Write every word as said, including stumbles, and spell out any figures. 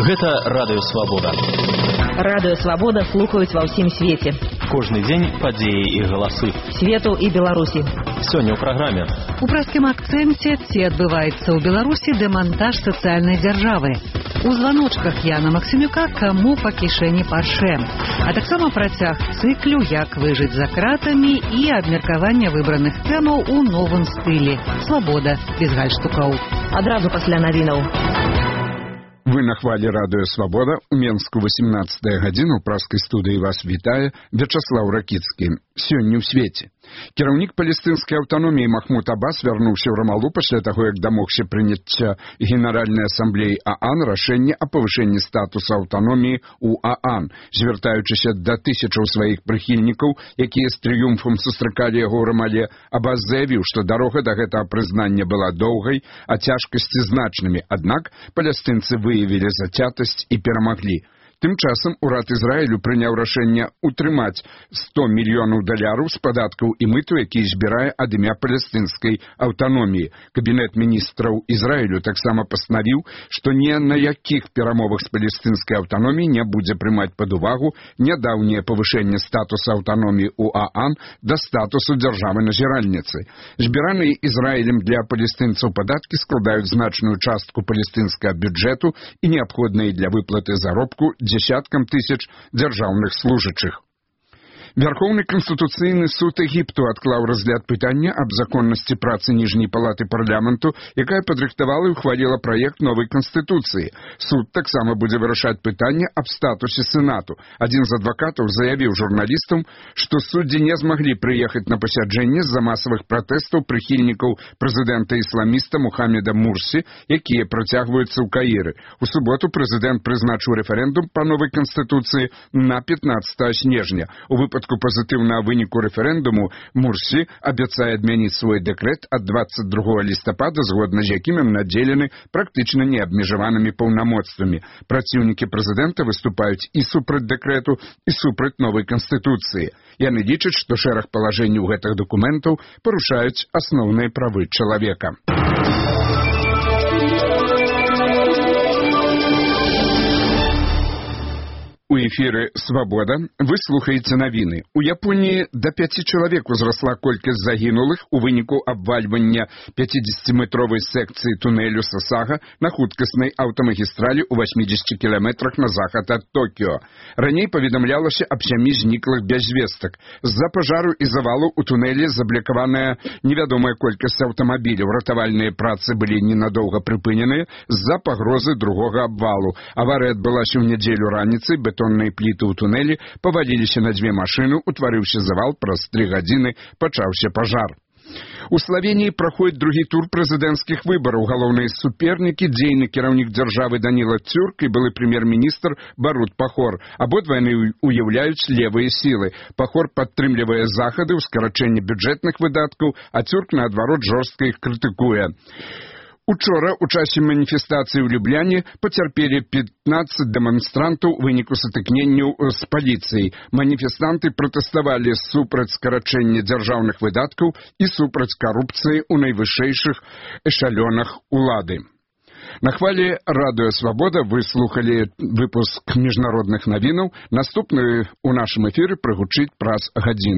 Гэта Радыё Свабода. Радыё Свабода слухаюць ва ўсім свеце. Кожны дзень падзеі і галасы. Свету і Беларусі. Сёння ў праграме. У праскім акцэнце ці адбываецца ў Беларусі дэмантаж сацыяльнай дзяржавы. У званочках Яна Максімюка каму па кішэні парше. А таксама працяг цыклю «Як выжыць за кратамі» і абмеркавання выбраных тэмаў у новым стылі. Свабода без гальштукаў. Адразу пасля навінаў. Вы на хвале Радыё Свабода. У Менску восемнадцатая гадзіна. У праскай студыі вас вітае Вячаслаў Ракіцкі. Сёння ў свеце. Кіраўнік палестынскай аўтаноміі Махмуд Аббас вярнуўся ў Рамалу пасля таго, як дамогся прыняцця Генеральнай асамблеі ААН рашэнне о павышэнні статуса аўтаноміі ў ААН, звяртаючыся да тысячаў сваіх прыхільнікаў, якія з трыумфам сустракалі яго ў Рамале. Аббас заявіў, што дарога да гэтага прызнання была доўгай, а цяжкасці значнымі, аднак палестынцы выявілі зацятасць і перамаглі. Тым часам урад Ізраілю прыняў рашэнне утрымаць сто мільёнаў даляраў з падаткаў і мыту, які збірае ад імя палестынскай аўтаноміі. Кабінет міністраў Ізраілю таксама пастанавіў, што ні на якіх перамовах з палестынскай аўтаноміяй не будзе прымаць пад увагу нядаўняе павышэнне статуса аўтаноміі ў ААН да статусу дзяржавы-назіральніцы. Збіраныя Ізраілем для палестынцаў падаткі складаюць значную частку палестынскага бюджэту і неабходныя для выплаты заробку дзесяткам тысяч дзяржаўных служачых. Вярхоўны канстытуцыйны суд Егіпту адклаў разгляд пытання аб законнасці працы ніжняй палаты парламенту, якая падрыхтавала і ухваліла праект новай канстытуцыі. Суд таксама будзе вырашаць пытанне аб статусе сенату. Адзін з адвакатаў заявіў журналістам, што суддзі не змаглі прыехаць на пасяджэнне з-за масавых пратэстаў прыхільнікаў прэзідэнта-ісламіста Мухаммеда Мурсі, якія працягваюцца ў Каіры. У суботу прэзідэнт прызначыў рэферэндум па новай канстытуцыі на пятнадцатае снежня. У выпадку пазітыўнага выніку рэферэндуму Мурсі абяцае адмяніць свой дэкрэт ад дваццаць другога лістапада, згодна з якім ім надзелены практычна неабмежаванымі паўнамоцтвамі. Праціўнікі прэзідэнта выступаюць і супраць дэкрэту, і супраць новай канстытуцыі. Яны лічаць, што шэраг палажэнняў гэтых дакументаў парушаюць асноўныя правы чалавека. У эфіры «Свабода» вы слухаеце навіны. У Японіі да пяці чалавек узрасла колькасць загінулых у выніку абвальвання пяцідзесяціметровай секцыі тунэлю Сасага на хуткаснай аўтамагістралі ў васьмідзесяці кіламетрах на захад ад Токіо. Раней паведамлялася аб сямі зніклых без звестак. З-за пажару і завалу ў тунэлі заблокаваная невядомая колькасць аўтамабіляў. Ратавальныя працы былі ненадоўга прыпыненыя з-за пагрозы другога абвалу. Аварыя адбылася ў нядзелю раніцай, бетонныя пліты ў тунэлі паваліліся на дзве машыны, утварыўся завал, праз тры гадзіны пачаўся пажар. У Славеніі праходзіць другі тур прэзідэнцкіх выбараў. Галоўныя супернікі — дзейны кіраўнік дзяржавы Даніла Цюрк і былы прэм'ер-міністр Барут Пахор. Абодва яны уяўляюць левыя сілы. Пахор падтрымлівае захады ў скарачэнні бюджэтных выдаткаў, а Цюрк, наадварот, жорстка іх крытыкуе. Учора у часе маніфестацыі ў Любляне пацярпелі пятнаццаць дэманстрантаў у выніку сутыкненняў з паліцыяй. Маніфестанты пратэставалі супраць скарачэння дзяржаўных выдаткаў і супраць карупцыі ў найвышэйшых эшалёнах улады. На хвале Радыё Свабода вы слухалі выпуск міжнародных навінаў. Наступны ў нашым эфіры прагучыць праз гадзіну.